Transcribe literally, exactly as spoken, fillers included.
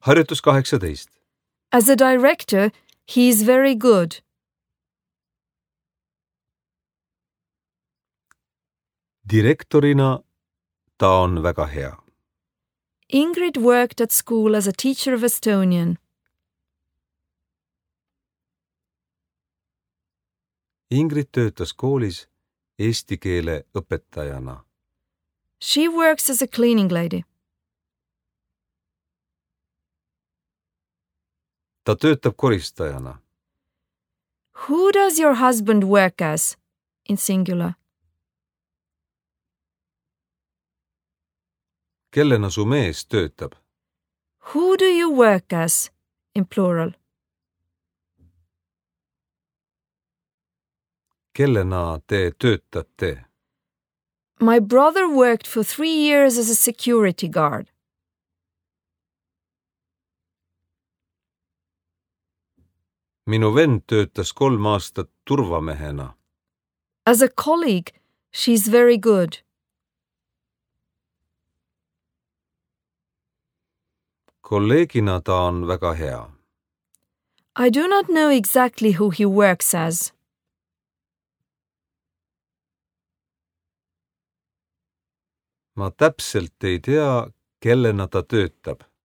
Harjutus kaheksateist. As a director, he is very good. Direktorina ta on väga hea. Ingrid worked at school as a teacher of Estonian. Ingrid töötas koolis eesti keele õpetajana. She works as a cleaning lady. Ta töötab koristajana. Who does your husband work as? In singular. Kellena su mees töötab? Who do you work as? In plural. Kellena te töötate? My brother worked for three years as a security guard. Minu vend töötas kolm aastat turvamehena. As a colleague, she's very good. Kolleegina ta on väga hea. I do not know exactly who he works as. Ma täpselt ei tea, kellena ta töötab.